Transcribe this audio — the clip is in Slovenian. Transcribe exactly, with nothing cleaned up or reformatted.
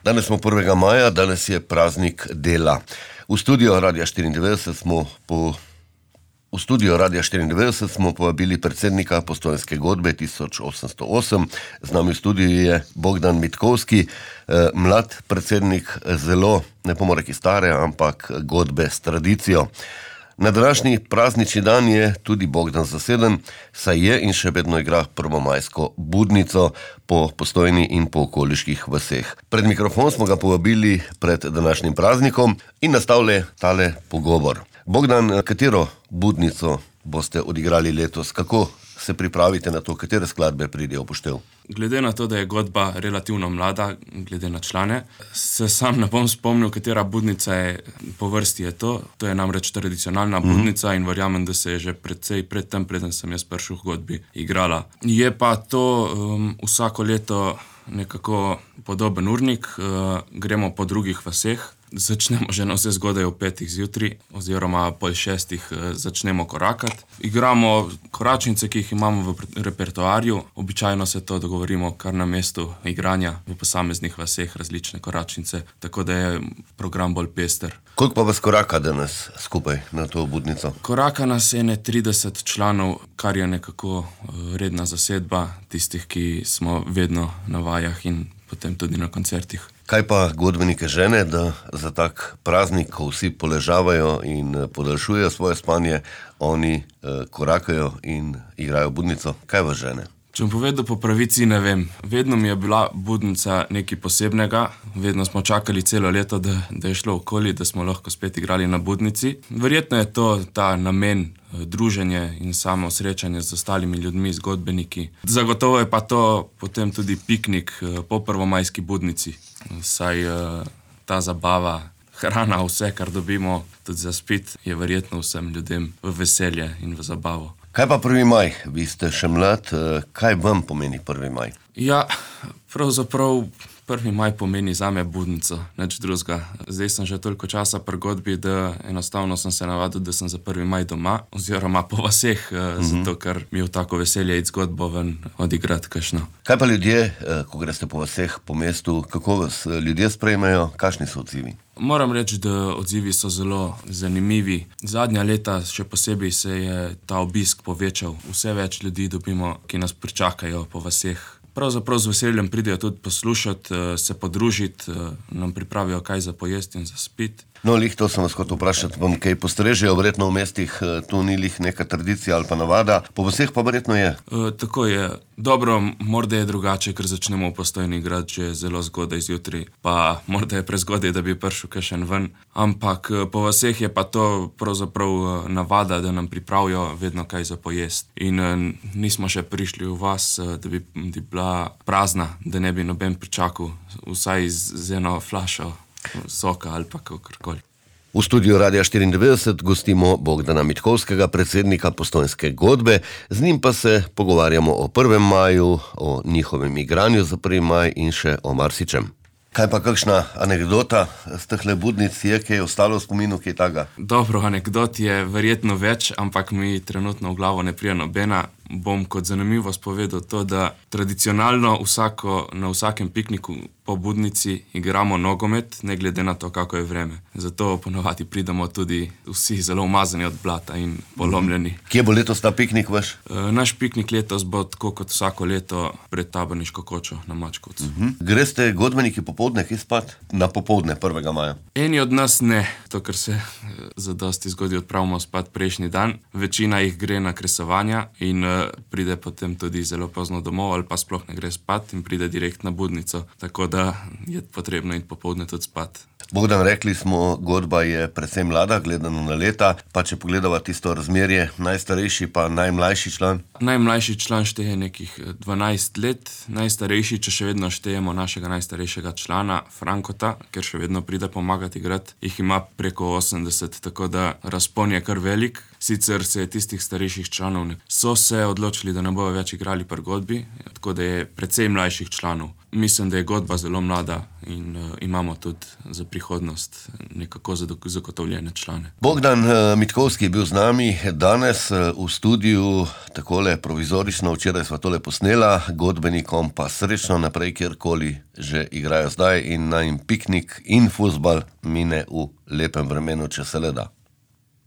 Danes smo prvega maja, danes je praznik dela. V studio Radia štiriindevetdeset smo po V studio Radia štiriindevetdeset smo povabili predsednika Postojnske godbe tisoč osemsto osem. Z nami v studiu je Bogdan Mitkovski, mlad predsednik zelo, ne pomore ki stare, ampak godbe s tradicijo. Na današnji praznični dan je tudi Bogdan zaseden, saj je in še vedno igra prvomajsko budnico po Postojni in po okoliških vaseh. Pred mikrofon smo ga povabili pred današnjim praznikom in nastavili tale pogovor. Bogdan, katero budnico boste odigrali letos? Kako se pripravite na to, katere skladbe pridejo v poštev? Glede na to, da je godba relativno mlada, glede na člane, se sam ne bom spomnil, katera budnica je po vrsti je to. To je namreč tradicionalna budnica mm-hmm. in verjamem, da se je že predvsej pred tem, preden sem jaz prišel v godbi, igrala. Je pa to um, vsako leto nekako podoben urnik, uh, gremo po drugih vaseh. Začnemo že na vse zgodaj v petih zjutraj, oziroma pol šestih začnemo korakati. Igramo koračnice, ki jih imamo v repertoarju. Običajno se to dogovorimo kar na mestu igranja v posameznih vaseh, različne koračnice, tako da je program bolj pester. Koliko pa vas koraka danes skupaj na to budnico? Koraka nas ene trideset članov, kar je nekako redna zasedba tistih, ki smo vedno na vajah in potem tudi na koncertih. Kaj pa godbenike žene, da za tak praznik, ko vsi poležavajo in podaljšujejo svoje spanje, oni eh, korakajo in igrajo budnico? Kaj vas žene? Če bom povedal po pravici, ne vem. Vedno mi je bila budnica nekaj posebnega, vedno smo čakali celo leto, da, da je šlo okoli, da smo lahko spet igrali na budnici. Verjetno je to ta namen, druženje in samo srečanje z ostalimi ljudmi, z godbeniki. Zagotovo je pa to potem tudi piknik po prvomajski budnici, saj ta zabava, hrana, vse, kar dobimo tudi za spit, je verjetno vsem ljudem v veselje in v zabavo. Kaj pa prvi maj? Vi ste še mlad, kaj vam pomeni prvi maj? Ja, pravzaprav prvi maj pomeni zame budnico, nič drugega. Zdaj sem že toliko časa pri godbi, da enostavno sem se navadil, da sem za prvi maj doma, oziroma po vaseh, mm-hmm. zato ker mi je tako veselje iti z godbo ven odigrati kakšno. Kaj pa ljudje, ko greste po vaseh, po mestu, kako vas ljudje sprejmejo, kakšni so odzivi? Moram reči, da odzivi so zelo zanimivi. Zadnja leta še posebej se je ta obisk povečal. Vse več ljudi dobimo, ki nas pričakajo po vaseh. Pravzaprav z veseljem pridejo tudi poslušati, se podružiti, nam pripravijo kaj za pojesti in za spiti. No, lih to sem vas hotel vprašati, vam kaj postrežejo, verjetno v mestih tu ni lih neka tradicija ali pa navada, po vseh pa verjetno je. E, tako je. Dobro, morda je drugače, ker začnemo v Postojni igrati že zelo zgodaj zjutraj, pa morda je prezgodaj, da bi prišel kakšen ven, ampak po vseh je pa to pravzaprav navada, da nam pripravijo vedno kaj za pojesti. In nismo še prišli v vas, da bi, bi bila prazna, da ne bi noben pričakal, vsaj z, z eno flašo soka ali pa kakorkoli. V studiu Radia štiriindevetdeset gostimo Bogdana Mitkovskega, predsednika Postojnske godbe. Z njim pa se pogovarjamo o prvem maju, o njihovem igranju za prvi maj in še o marsičem. Kaj pa kakšna anekdota z tehle budnic je, kaj je ostalo v spominu, kaj taga? Dobro, anekdot je verjetno več, ampak mi trenutno v glavo ne prija nobena. Bom kot zanimivost povedal to, da tradicionalno vsako, na vsakem pikniku po budnici igramo nogomet, ne glede na to, kako je vreme. Zato ponovadi pridemo tudi vsi zelo umazani od blata in polomljeni. Kje bo letos ta piknik vaš? E, naš piknik letos bo tako kot vsako leto pred Taborniško kočo na Mačkovcu. Uh-huh. Greste godbeniki popoldne kje spat? Na popoldne prvega maja? Eni od nas ne, to ker se zadosti zgodi odpravimo spat prejšnji dan. Večina jih gre na kresovanja in pride potem tudi zelo pozno domov ali pa sploh ne gre spat in pride direkt na budnico, tako da je potrebno iti popoldne tudi spat. Bogdan, rekli smo, godba je predvsem mlada, gledano na leta, pa če pogledava tisto razmerje, najstarejši pa najmlajši član? Najmlajši član šteje nekih dvanajst let, najstarejši, če še vedno štejemo našega najstarejšega člana, Frankota, ker še vedno pride pomagati igrati, jih ima preko osemdeset, tako da razpon je kar velik. Sicer se je tistih starejših članov ne... so se odločili, da ne bojo več igrali pri Godbi, tako da je precej mlajših članov. Mislim, da je Godba zelo mlada in uh, imamo tudi za prihodnost nekako zagotovljene člane. Bogdan uh, Mitkovski je bil z nami danes uh, v studiu, takole provizorično, včeraj sva tole posnela, godbenikom pa srečno naprej, kjerkoli že igrajo zdaj in naj jim piknik in fuzbal mine v lepem vremenu, če se le da.